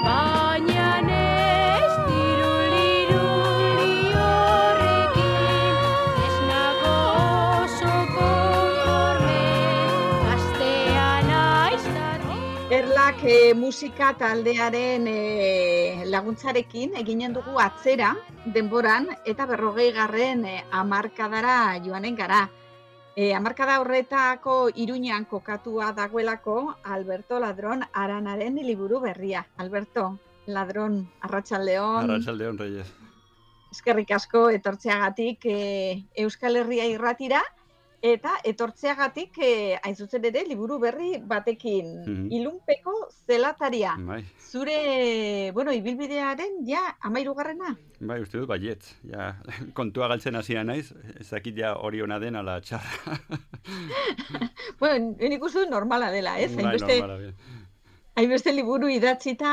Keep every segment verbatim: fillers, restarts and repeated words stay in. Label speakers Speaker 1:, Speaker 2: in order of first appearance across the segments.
Speaker 1: Baina ez diruliruli horrekin, ez nago oso konforme, gaztea naiz larri.
Speaker 2: Erlak eh, musika taldearen eh, laguntzarekin eginen dugu atzera denboran eta berrogei garren eh, hamarkadara joanen gara. E, hamarkada horretako Iruñan kokatua dagoelako Alberto Ladron Aranaren liburu berria. Alberto Ladron, arratsaldeon.
Speaker 3: Arratsaldeon, Reyes.
Speaker 2: Eskerrik asko etortzeagatik e, Euskal Herria irratira eta etortzeagatik e, hain zuzen ere liburu berri batekin.
Speaker 3: Mhm.
Speaker 2: Ilunpeko zelataria.
Speaker 3: Bai,
Speaker 2: Zure, bueno, ibilbidearen ja hamahirugarrena.
Speaker 3: bai, uste dut baiet. Ja, kontua galtzen hasia naiz, ez dakit ja hori ona den ala txarra.
Speaker 2: Bueno, nik uste dut normala dela, ez?
Speaker 3: Bai,
Speaker 2: Hainbeste-
Speaker 3: normala, bien.
Speaker 2: Hainbeste liburu idatzita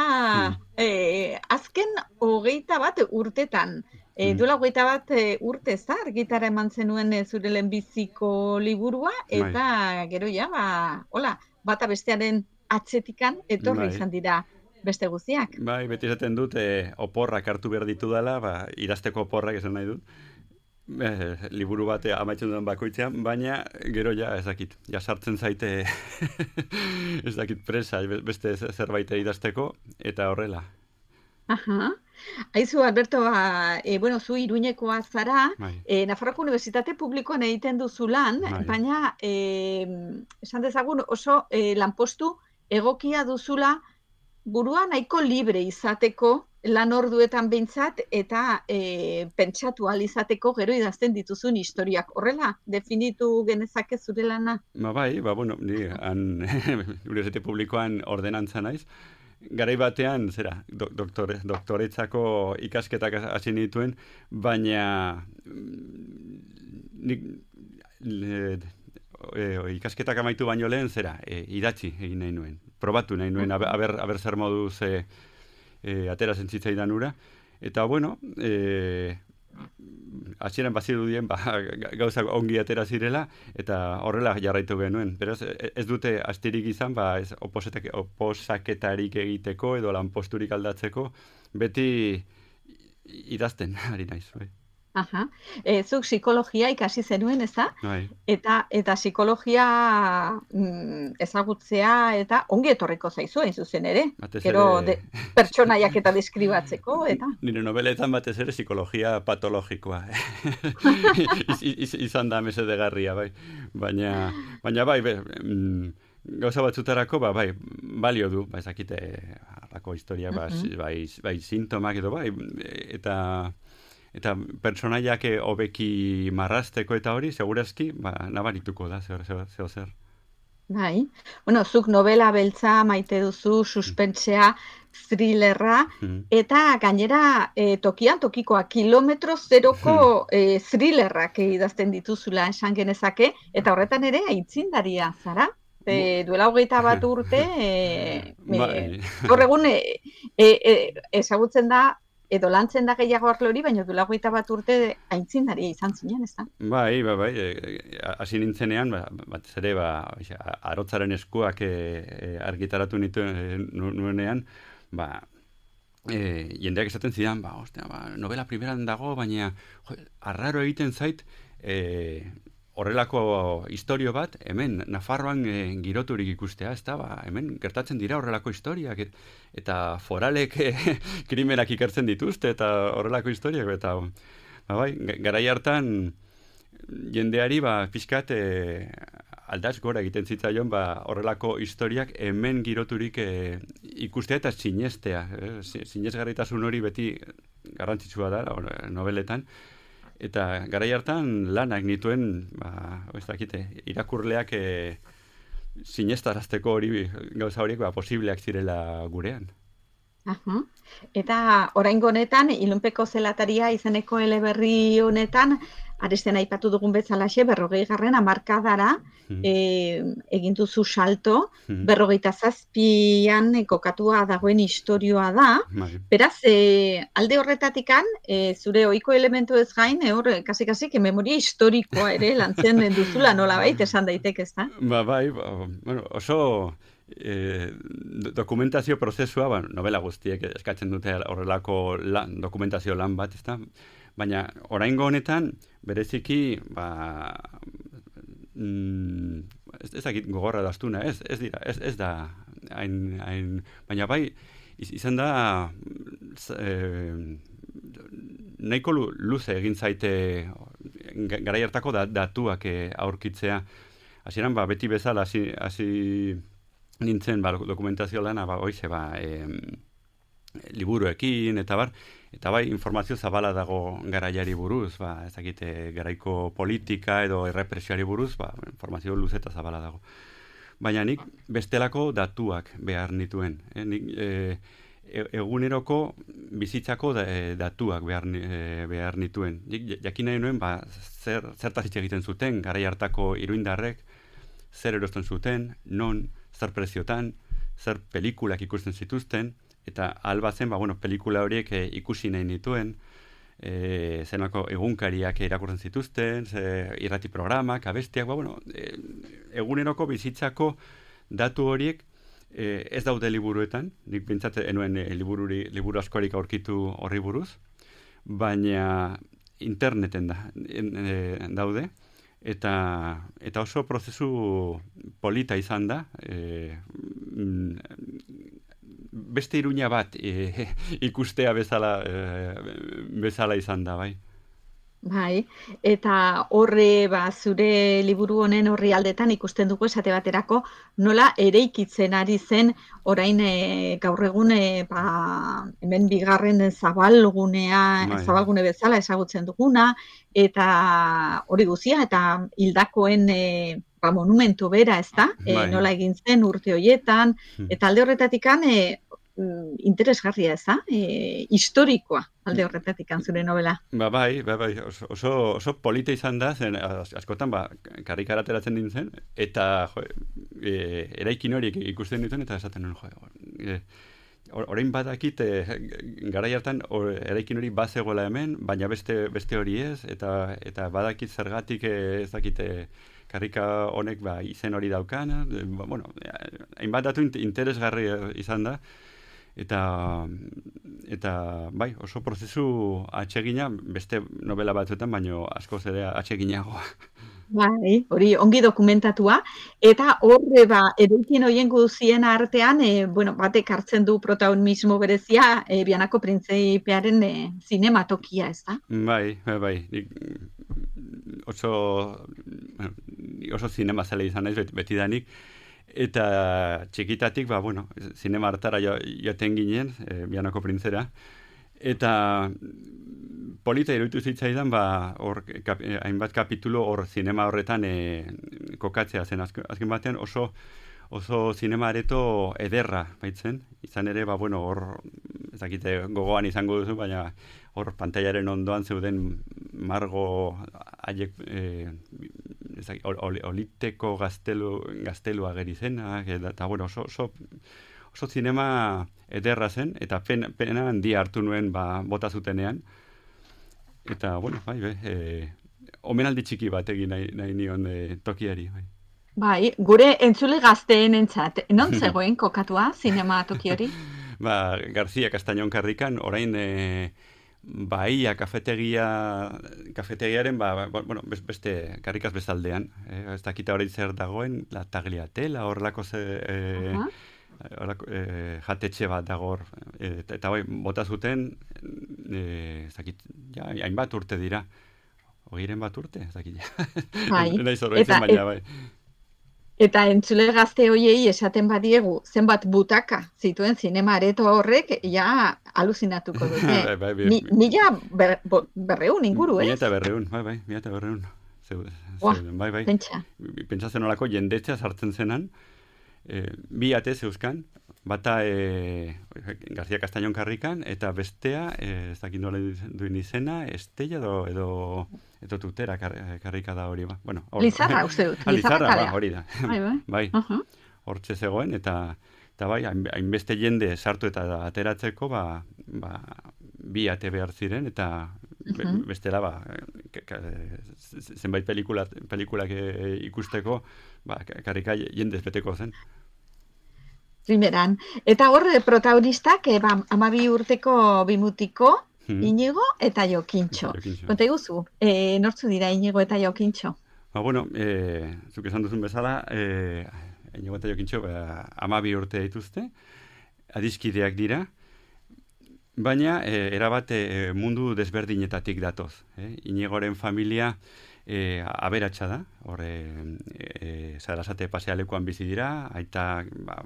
Speaker 3: Hmm.
Speaker 2: eh, azken hogeita bat urtetan. E,
Speaker 3: Hmm.
Speaker 2: duela hogeita bat e, urte ez da, argitara eman zenuen e, zure lehenbiziko liburua, eta gero ja, ba, hola, bata bestearen atzetikan etorri
Speaker 3: Bai.
Speaker 2: izan dira beste guztiak.
Speaker 3: Bai, beti esaten dut, eh, oporrak hartu behar ditu dela, ba, idazteko oporrak esan nahi dut. Eh, liburu bat eh, amaitzen duen bakoitzean, baina gero ja ez dakit, ja sartzen zaite ez dakit presa be- beste ze- zerbait idazteko, eta horrela.
Speaker 2: Aha. Aizu, Alberto, ba, e, bueno, zu Iruñekoa zara,
Speaker 3: Bai.
Speaker 2: e, Nafarroako Unibertsitate Publikoan egiten duzu lan,
Speaker 3: Bai.
Speaker 2: baina e, esan dezagun oso e, lanpostu egokia duzula burua nahiko libre izateko, lan orduetan behintzat, eta e, pentsatu ahal izateko gero idazten dituzun historiak. Horrela, definitu genezake zure lana.
Speaker 3: Ba bai, ba bueno, ni han Unibertsitate Publikoan ordenantza naiz. Garai batean, zera, do, doktore, doktoretzako ikasketak hasi nituen, baina mm, nik le, e, ikasketak amaitu baino lehen, zera, e, idatzi egin nahi nuen. Probatu nahi nuen, aber, aber, aber zer moduz e, e, atera zentzitzaidan ura. Eta, bueno, e, hasieran bazirudien ba, gauzak ongi atera zirela, eta horrela jarraitu genuen. Beraz, e- ez dute astirik izan, ba, ez oposetak- oposaketarik egiteko edo lanposturik aldatzeko, beti idazten ari naiz. Bai.
Speaker 2: Aha. E, zuk psikologia ikasi zenuen, ez da?
Speaker 3: Bai.
Speaker 2: Eta, eta psikologia mm, ezagutzea eta ongi etorriko zaizu hain zuzen ere.
Speaker 3: Batez
Speaker 2: Gero
Speaker 3: ere-
Speaker 2: de, pertsonaiak eta deskribatzeko, eta
Speaker 3: Nire nobeletan batez ere psikologia patologikoa. iz, iz, izan da mesedegarria, bai. Baina, baina bai, be, mm, gauza batzutarako, ba, bai, balio du, ba, ezakite, harrako historia, ba,
Speaker 2: Mhm.
Speaker 3: bai, bai, sintomak edo, bai, eta eta pertsonaiak eh, hobeki marrazteko eta hori, segurazki, ba, nabarituko da, zer, zer, zer, zer.
Speaker 2: bai. Bueno, zuk novela beltza maite duzu, suspensea, thrillerra,
Speaker 3: Mhm.
Speaker 2: eta gainera e, tokian tokikoa, kilometro zeroko e, thrillerrak idazten dituzula esan genezake, eta horretan ere aitzindaria zara. E, duela hogeita bat urte, e,
Speaker 3: Bai.
Speaker 2: gaur egun e, e, e, ezagutzen da, edo lantzen da gehiago arlo hori, baina duela hogeita bat urte aitzindaria izan zinen, ez da?
Speaker 3: Bai, bai, bai, e, hasi nintzenean, ba, batez ere, ba, oixa, arotzaren eskuak e, e, argitaratu nituen e, nu- nuenean, ba, e, jendeak esaten zidan, ba, ostia, ba, novela primeran dago, baina jo, arraro egiten zait, e, horrelako istorio bat, hemen, Nafarroan e, giroturik ikustea, ez da, ba, hemen gertatzen dira horrelako historiak, et, eta foralek e, krimenak ikertzen dituzte, eta horrelako historiak, eta, ba, bai, ga- garai hartan, jendeari, ba, pixkat, e, aldaz gora egiten zitzaion, ba, horrelako historiak hemen giroturik e, ikustea eta sinestea. Eh? Si- Sinesgarritasun hori beti garrantzitsua da, or- nobeletan. Eta garai hartan lanak nituen, ba, ez dakite, irakurleak e, sinestarazteko hori gauza horiek ba, posibleak zirela gurean.
Speaker 2: Aha. Eta oraingo honetan, Ilunpeko zelataria izeneko eleberri honetan, aresten aipatu dugun bezalaxe, berrogei garren hamarkadara
Speaker 3: Mhm.
Speaker 2: e, egin duzu salto,
Speaker 3: Mhm.
Speaker 2: berrogeita zazpian kokatua dagoen istorioa da.
Speaker 3: Bai.
Speaker 2: Beraz, e, alde horretatikan, e, zure ohiko elementu ez gain, e, hor, kasi-kasik, memoria historikoa ere lantzen duzula nolabait esan daiteke, ezta?
Speaker 3: Ba, bai, ba, bueno, oso e, dokumentazio prozesua, ba, novela guztiek eskatzen dute horrelako lan, dokumentazio lan bat, ezta? Baina oraingo honetan bereziki ba mm, ez ezagik gogorra da astuna, ez ez dira, ez ez da hain hain baina bai izan da eh, nahiko luze egin zaite garai hartako da, datuak aurkitzea. Hasieran ba beti bezala hasi hasi nintzen ba dokumentazio lana ba hoize ba eh, liburuekin eta bar, eta bai informazio zabala dago garaiari buruz, ba ez dakite garaiko politika edo errepresioari buruz, ba informazio luze eta zabala dago. Baina nik bestelako datuak behar nituen, eh? Nik eh, eguneroko bizitzako da, e, datuak behar, e, behar nituen. Nik jakin nahi nuen, ba, zer, zertaz hitz egiten zuten, garai hartako iruindarrek, zer erosten zuten, non, zer preziotan, zer pelikulak ikusten zituzten, eta alba zen, ba, bueno, pelikula horiek e, ikusi nahi nituen, e, zenako egunkariak irakurtzen zituzten, ze, irrati programak, abestiak, ba, bueno, e, eguneroko bizitzako datu horiek E, ez daude liburuetan, nik bintzat enuen e, libururi, liburu askorik aurkitu horri buruz, baina interneten da, en, e, daude, eta, eta oso prozesu polita izan da, e, beste iruña bat e, ikustea bezala, e, bezala izan da, bai.
Speaker 2: Bai, eta horre ba, zure liburu honen horri aldetan ikusten dugu esate baterako nola eraikitzen ari zen orain e, gaur egun e, ba, hemen bigarren zabalgunea, bai. zabalgune bezala ezagutzen duguna, eta hori guztia, eta hildakoen e, ba, monumentu bera, ez da? E, nola egin zen urte horietan, eta alde horretatikan e, interesgarria ez da? E, historikoa alde horretatik zure novela.
Speaker 3: Ba, bai, ba, bai, oso, oso, oso polita izan da, zen askotan ba, karrikara ateratzen nintzen, eta jo, e, eraikin horiek ikusten dituen, eta esaten nuen, jo, e, orain badakit, e, garai hartan or, eraikin hori bazegoela hemen, baina beste, beste hori ez, eta, eta badakit zergatik ez dakite karrika honek ba, izen hori daukan, e, ba, bueno, hainbat datu interesgarri izan da, eta eta bai, oso prozesu atsegina beste novela batzuetan, baino askoz ere atseginagoa.
Speaker 2: Bai, hori ongi dokumentatua, eta horre ba, eraikin horien guzien artean, e, bueno, batek hartzen du protagonismo berezia, e, Bianako Printzeipearen e, zinematokia, ez da?
Speaker 3: Bai, bai, bai. Oso, bueno, oso zinema zale izan naiz betidanik, eta txikitatik, ba, bueno, zinema hartara joaten ginen, e, Bianako Printzera, eta polita iruditu zitzaidan, ba, hor, kap, hainbat kapitulo hor zinema horretan e, kokatzea zen. Azken, azken batean oso, oso zinema areto ederra baitzen. Izan ere, ba, bueno, hor, ez dakite gogoan izango duzu, baina hor pantailaren ondoan zeuden margo haiek e, ol, oliteko gaztelu, gaztelu ageri zenak, eta bueno, oso, oso, oso zinema ederra zen, eta pena, pena handia hartu nuen ba, bota zutenean. Eta, bueno, bai, be, e, omenaldi txiki bat egin nahi, nahi nion e, tokiari, bai.
Speaker 2: Bai, gure entzule gazteen entzat, non zegoen kokatua zinema toki hori?
Speaker 3: Ba, García Castañón karrikan, orain e, Bahia kafetegia, kafetegiaren, ba, bueno, beste karrikaz bezaldean, eh, ez dakita hori zer dagoen, la tagliatela, horrelako ze, eh, uh -huh. horrelako, eh, jatetxe bat dago hor, eh, eta bai, bota zuten, eh, ez dakit, ja, hainbat urte dira, hogeiren bat urte, ez dakit, ja.
Speaker 2: Bai,
Speaker 3: eta, baina, bai.
Speaker 2: Eta entzule gazte hoiei esaten badiegu zenbat butaka zituen zinema areto horrek, ja aluzinatuko dute.
Speaker 3: bai, bai, bai,
Speaker 2: Ni, mila ber, berreun inguru, ez?
Speaker 3: Mila eta berreun, bai, bai, mila eta berreun. Bai, bai.
Speaker 2: Pentsa.
Speaker 3: Pentsatzen olako jendetzea sartzen zenan, e, bi ate zeuzkan, bata e, García Castañón karrikan, eta bestea, e, ez dakit nola duen izena, Estella edo, edo, edo Tutera kar, karrika da hori, ba. Bueno, or,
Speaker 2: Lizarra, uste dut.
Speaker 3: Lizarra, ba, hori da.
Speaker 2: Bai, bai.
Speaker 3: Bai, uh-huh. Hortxe zegoen, eta, eta bai, hainbeste jende sartu eta ateratzeko, ba, ba, bi ate behar ziren, eta uh-huh. bestela, ba, zenbait pelikula, pelikulak ikusteko, ba, karrika jendez beteko zen.
Speaker 2: primeran. Eta hor, protagonistak, e, ba, amabi urteko bimutiko,
Speaker 3: Hmm.
Speaker 2: Inigo eta Jokintxo.
Speaker 3: Jokintxo.
Speaker 2: Konta iguzu, e, nortzu dira Inigo eta Jokintxo?
Speaker 3: Ba, bueno, e, zuk esan duzun bezala, e, Inigo eta Jokintxo, ba, amabi urte dituzte, adiskideak dira, baina e, erabat e, mundu desberdinetatik datoz. Eh? Inigoren familia e, aberatsa da, hor e, e, Sarasate pasealekuan bizi dira, aita ba,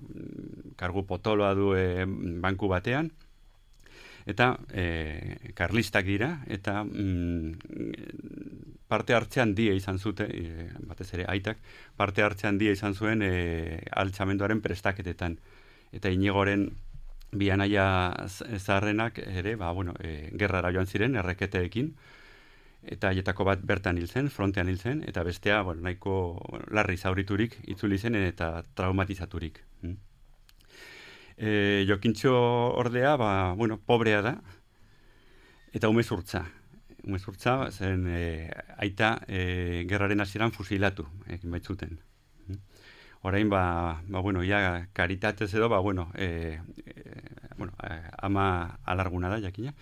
Speaker 3: kargu potoloa du e, banku batean, eta e, karlistak dira, eta mm, parte hartzean handia izan zute, e, batez ere aitak, parte hartzean handia izan zuen e, altxamenduaren prestaketetan. Eta Inigoren bi anaia zaharrenak ere, ba, bueno, e, gerrara joan ziren, erreketeekin, eta haietako bat bertan hil zen, frontean hil zen, eta bestea, bueno, nahiko bueno, larri zauriturik itzuli zen eta traumatizaturik. Mm. E, Jokintxo ordea, ba, bueno, pobrea da, eta umezurtza. Umezurtza, zen e, aita e, gerraren hasieran fusilatu, ekin baitzuten. Orain, ba, ba, bueno, ja, karitatez edo, ba, bueno, e, e, bueno, ama alarguna da, jakina.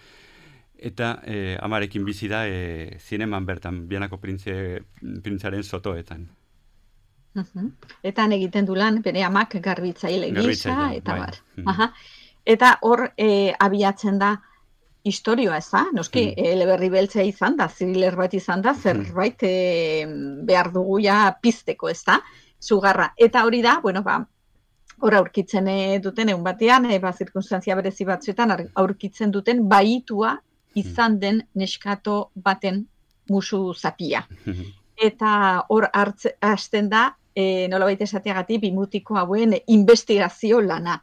Speaker 3: Eta e, amarekin bizi da e, zineman bertan, Bianako printze, printzaren sotoetan.
Speaker 2: Uh-huh. Eta egiten du lan, bere amak garbitzaile gisa, eta
Speaker 3: bai.
Speaker 2: bar. Uh-huh. Eta hor e, abiatzen da historioa, ez da? Noski, mm. eleberri beltzea izan da, thriller bat izan da, zerbait e, behar dugu ja pizteko, ez da? Zugarra. Eta hori da, bueno, ba, hor aurkitzen e, duten, egun batean, e, ba, zirkunstantzia berezi batzuetan aurkitzen duten baitua izan den neskato baten musu zapia. Eta hor hasten da, e, nolabait esateagatik, bimutiko hauen investigazio lana.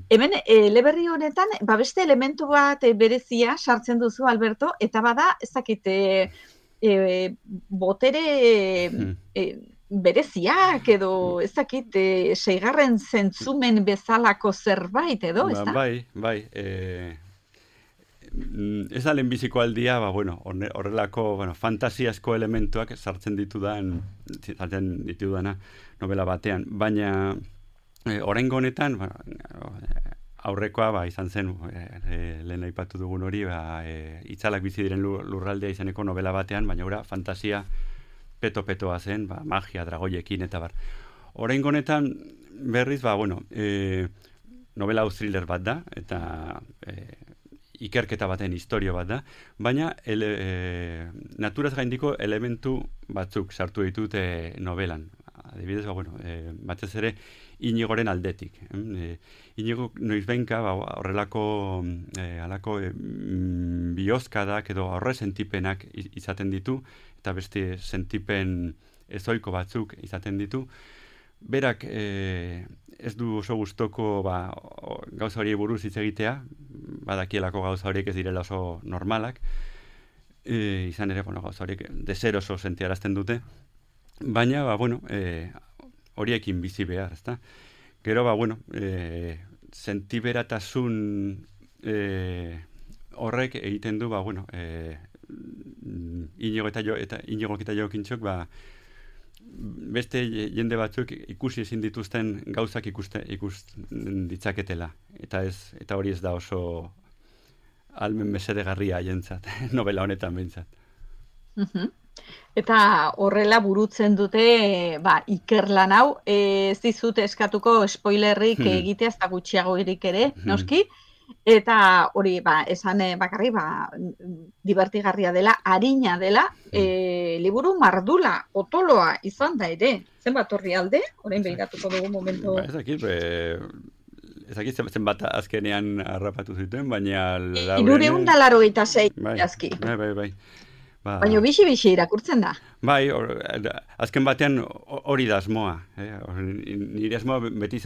Speaker 2: Hemen, eleberri honetan, ba, beste elementu bat e, berezia sartzen duzu, Alberto, eta bada, ez dakit, e, e, botere e, bereziak edo, ez dakit, e, seigarren zentzumen bezalako zerbait edo, ez da?
Speaker 3: Ba, bai, bai, e... ez da lehenbiziko aldia, ba, bueno, horrelako bueno, fantasiazko elementuak sartzen ditudan, sartzen ditudana novela batean, baina e, oraingo honetan, ba, aurrekoa ba, izan zen, e, e, lehen aipatu dugun hori, ba, e, itzalak bizi diren lurraldea izaneko novela batean, baina ora fantasia peto-petoa zen, ba, magia, dragoiekin, eta bar. Oraingo honetan berriz, ba, bueno, e, novela thriller bat da, eta e, ikerketa baten historio bat da, baina ele, e, naturaz gaindiko elementu batzuk sartu ditute novelan. Adibidez, ba, bueno, e, batez ere Inigoren aldetik. E, Inigo noizbenka ba, horrelako e, alako e, bihozkadak edo horre sentipenak izaten ditu, eta beste sentipen ezoiko batzuk izaten ditu. Berak e, ez du oso gustoko ba, gauza horiek buruz hitz egitea, badakielako gauza horiek ez direla oso normalak, e, izan ere, bueno, gauza horiek deseroso sentiarazten dute, baina, ba, bueno, e, horiekin bizi behar, ezta? Gero, ba, bueno, e, sentiberatasun e, horrek egiten du, ba, bueno, e, Inigo eta jo, eta Inigo eta Jokintxok, ba, beste jende batzuk ikusi ezin dituzten gauzak ikuste ikus ditzaketela, eta ez eta hori ez da oso almen mesedegarria haientzat, novela honetan behintzat.
Speaker 2: Uh-huh. Eta horrela burutzen dute ba, ikerlan hau, ez dizut eskatuko spoilerrik hmm. egitea, ez da gutxiago irik ere, noski, eta hori, ba, esan bakarri, ba, divertigarria dela, arina dela, e, liburu mardula, otoloa izan da ere. Zenbat horri alde? Orain behiratuko dugu momentu.
Speaker 3: Ba, ez dakit, be, ez dakit zenbat azkenean harrapatu zituen, baina...
Speaker 2: Hirureun da laurogeita sei azki.
Speaker 3: Bai, bai, bai. Ba,
Speaker 2: baina bixi-bixi irakurtzen da.
Speaker 3: Bai, or, azken batean hori da asmoa. Eh? Nire asmoa beti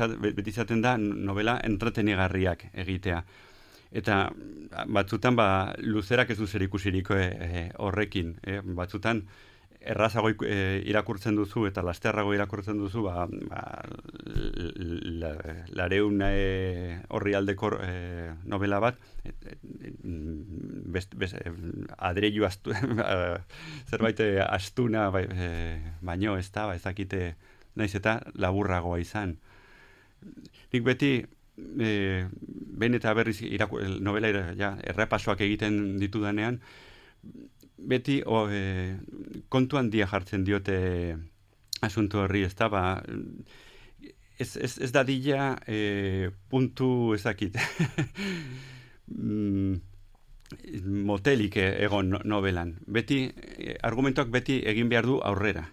Speaker 3: izaten da novela entretenigarriak egitea. Eta batzutan ba, luzerak ez du zer ikusiriko e, horrekin. Eh? Batzutan errazago e, irakurtzen duzu eta lasterrago irakurtzen duzu, ba, ba, la, lareun e, horri aldeko e, novela bat, e, e, best, best, e, adreilu astu, zerbait astuna bai, e, baino ez da, ba, ezakite naiz eta laburragoa izan. nik beti, e, behin eta berriz iraku, novela ja, errepasoak egiten ditudanean, beti o, e, kontu handia jartzen diote asunto horri, ez da, ba, ez, ez, ez da dila e, puntu ezakit. motelik egon novelan. Beti, argumentoak beti egin behar du aurrera.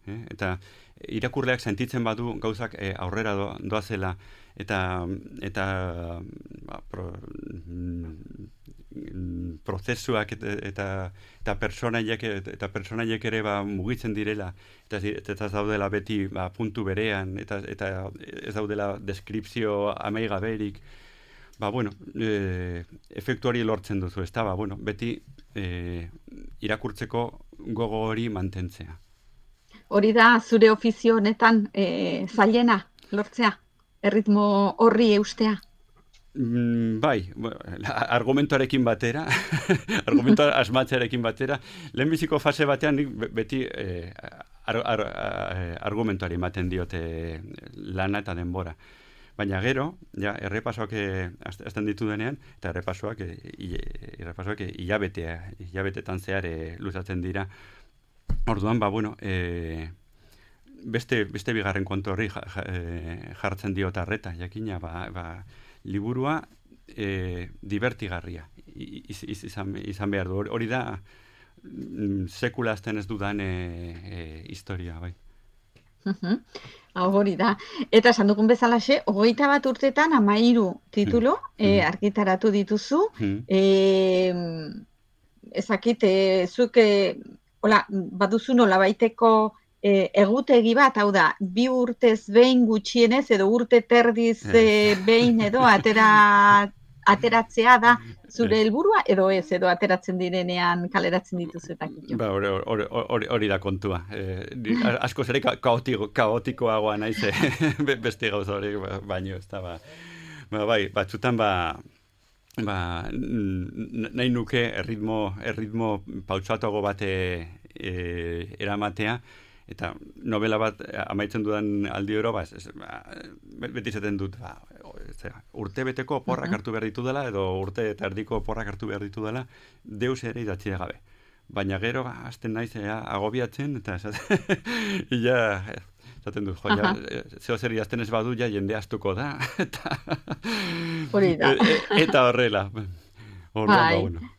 Speaker 3: Eh? Eta irakurleak sentitzen badu gauzak eh, aurrera do, doazela eta eta ba, pro, mm, prozesuak eta eta, eta personaiek eta personaiek ere ba, mugitzen direla eta eta ez daudela beti ba, puntu berean eta eta ez daudela deskripzio amaigaberik. Ba, bueno, e, efektu hori lortzen duzu, ez da, ba, bueno, beti e, irakurtzeko gogo hori mantentzea.
Speaker 2: Hori da, zure ofizio honetan e, zailena, lortzea, erritmo horri eustea?
Speaker 3: Mm, bai, argumentoarekin batera, argumentu asmatzearekin batera, lehenbiziko fase batean nik beti e, ar, ar, argumentuari ematen diote lana eta denbora. Baina gero, ja, errepasoak azten ditu denean, eta errepasoak, errepasoak hilabetea, hilabetetan zehar luzatzen dira. Orduan, ba, bueno, e, beste, beste bigarren kontu horri jartzen diot arreta, jakina, ba, ba, liburua e, divertigarria iz, iz, izan, izan behar du. Hori da, sekula azten ez dudan e, e, historia, bai.
Speaker 2: Uh-huh. Hori da. Eta esan dugun bezalaxe, hogeita bat urtetan amairu titulo mm. eh, argitaratu dituzu. Mm. Eh, ezakit, eh, zuk eh, hola, baduzu nola baiteko eh, egutegi bat, hau da, bi urtez behin gutxienez edo urte terdiz eh, behin edo atera, ateratzea da zure helburua edo ez, edo ateratzen direnean kaleratzen dituzu eta kitxo.
Speaker 3: Ba, hori, hori, hori, hori da kontua. Eh, asko zere kaotiko, kaotikoagoa naiz, eh, beste gauza hori baino, ez da, ba, ba, bai, batzutan, ba, ba, nahi nuke erritmo, erritmo pautsatuago bate e, eramatea, eta novela bat amaitzen dudan aldi oro, ba, ez, ba, beti zaten dut, ba, zera, urte beteko porrak hartu behar ditu dela, edo urte eta erdiko porrak hartu behar ditu dela, deus ere idatzi gabe. Baina gero, hasten naiz, ea, agobiatzen, eta ja, zaten dut, jo, ja, zeo zer idazten ez badu, ja, jende astuko da, eta,
Speaker 2: da.
Speaker 3: e, eta horrela. Horrela,
Speaker 2: bai.
Speaker 3: ba, bueno.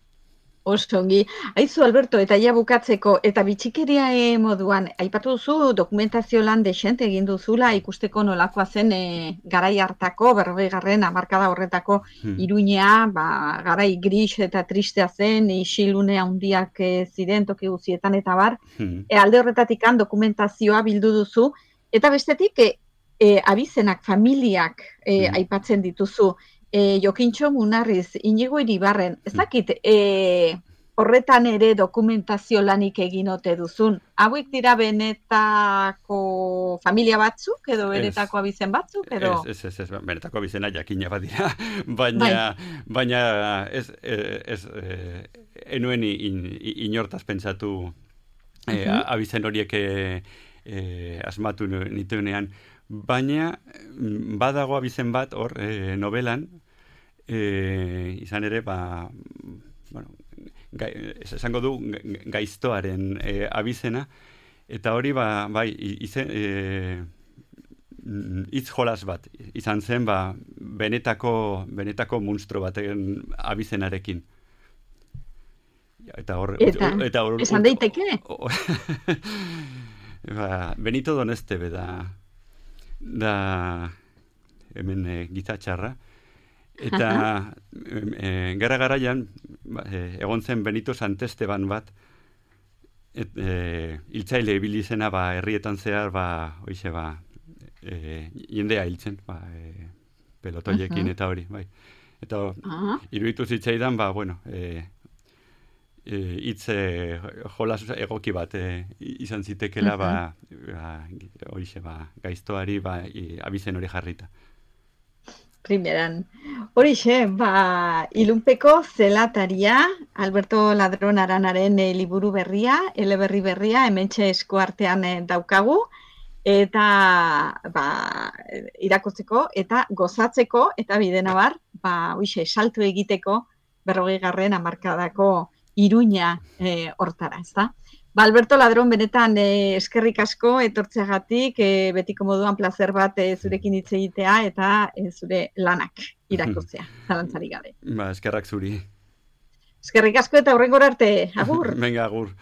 Speaker 2: Osongi. Aizu, Alberto, eta ja bukatzeko, eta bitxikeria e, moduan, aipatu duzu dokumentazio lan desente egin duzula ikusteko nolakoa zen e, garai hartako, berrogei garren hamarkada horretako hmm. Iruña, ba, garai gris eta tristea zen, isilune handiak e, ziren toki guzietan eta bar, hmm. e, alde horretatikan dokumentazioa bildu duzu, eta bestetik, e, e, abizenak, familiak e, hmm. aipatzen dituzu, E, Jokintxo Munarriz, Inigo Iribarren, ez dakit, e, horretan ere dokumentazio lanik egin ote duzun. Hauek dira benetako familia batzuk, edo benetako abizen batzuk, edo?
Speaker 3: Ez, ez, ez, ez, benetako abizena jakina bat dira, baina, bai. baina ez, ez, ez enuen in, inortaz pentsatu e, uh-huh. abizen horiek e, asmatu nituenean. Baina, badago abizen bat, hor, e, novelan, e, izan ere, ba, bueno, gai, esango du, gaiztoaren e, abizena, eta hori, ba, bai, izen, e, hitz jolas bat, izan zen, ba, benetako, benetako monstro baten abizenarekin. Eta hor...
Speaker 2: Eta, eta hor, esan daiteke?
Speaker 3: Ba, Benito Donestebe da... da hemen e, gitatxarra eta e, gara garaian e, egon zen Benito Santesteban bat et, e, hiltzaile ibili zena ba, herrietan zehar ba, oixe, ba, e, jendea hiltzen ba, e, pelotoiekin uh-huh. eta hori bai. Eta uh-huh. iruditu zitzaidan ba, bueno e, hitz e, jolas egoki bat e, izan zitekela uh-huh. ba, ba, oixe, ba, gaiztoari ba, i, abizen hori jarrita.
Speaker 2: Primeran. Horixe, ba, ilunpeko zelataria, Alberto Ladron Aranaren e, liburu berria, eleberri berria, hementxe esku artean e, daukagu, eta ba, irakurtzeko eta gozatzeko eta bidenabar, ba, uixe, salto egiteko berrogei garren hamarkadako Iruña e, hortara, ezta? Ba, Alberto Ladron, benetan e, eskerrik asko etortzeagatik, e, betiko moduan plazer bat e, zurekin hitz egitea eta e, zure lanak irakurtzea, zalantzarik gabe.
Speaker 3: Ba, eskerrak zuri.
Speaker 2: Eskerrik asko eta hurrengora arte, agur.
Speaker 3: Venga, agur.